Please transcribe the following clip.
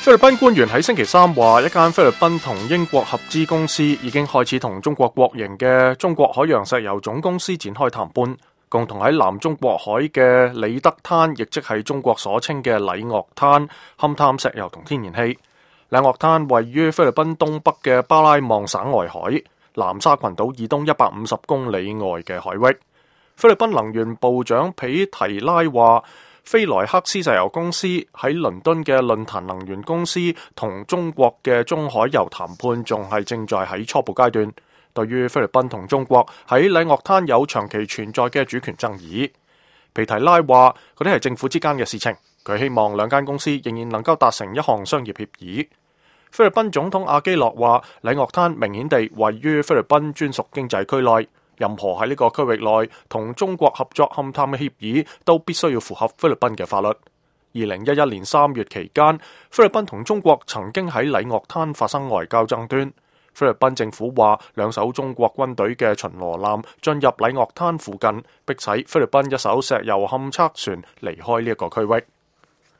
菲律賓官員喺星期三話，一間菲律賓同英國合資公司已經開始同中國國營嘅中國海洋石油總公司展開談判，共同喺南中國海嘅里德灘，亦即係中國所稱嘅禮嶽灘，勘探石油同天然氣。禮嶽灘位於菲律賓東北嘅巴拉望省外海，南沙群島以東150公里外嘅海域。菲律賓能源部長皮提拉話，菲萊克斯石油公司喺倫敦嘅論壇能源公司同中國嘅中海油談判仲係正在喺初步階段。對於菲律賓同中國喺禮嶽灘有長期存在嘅主權爭議，皮提拉話嗰啲係政府之間嘅事情，佢希望兩間公司仍然能夠達成一項商業協議。菲律賓總統阿基諾話，禮嶽灘明顯地位於菲律賓專屬經濟區內，任何喺呢個區域內同中國合作勘探嘅協議都必須要符合菲律賓嘅法律。2011年3月期間，菲律賓同中國曾經喺禮嶽灘發生外交爭端。菲律賓政府話，兩艘中國軍隊嘅巡邏艦進入禮嶽灘附近，迫使菲律賓一艘石油勘測船離開呢一個區域。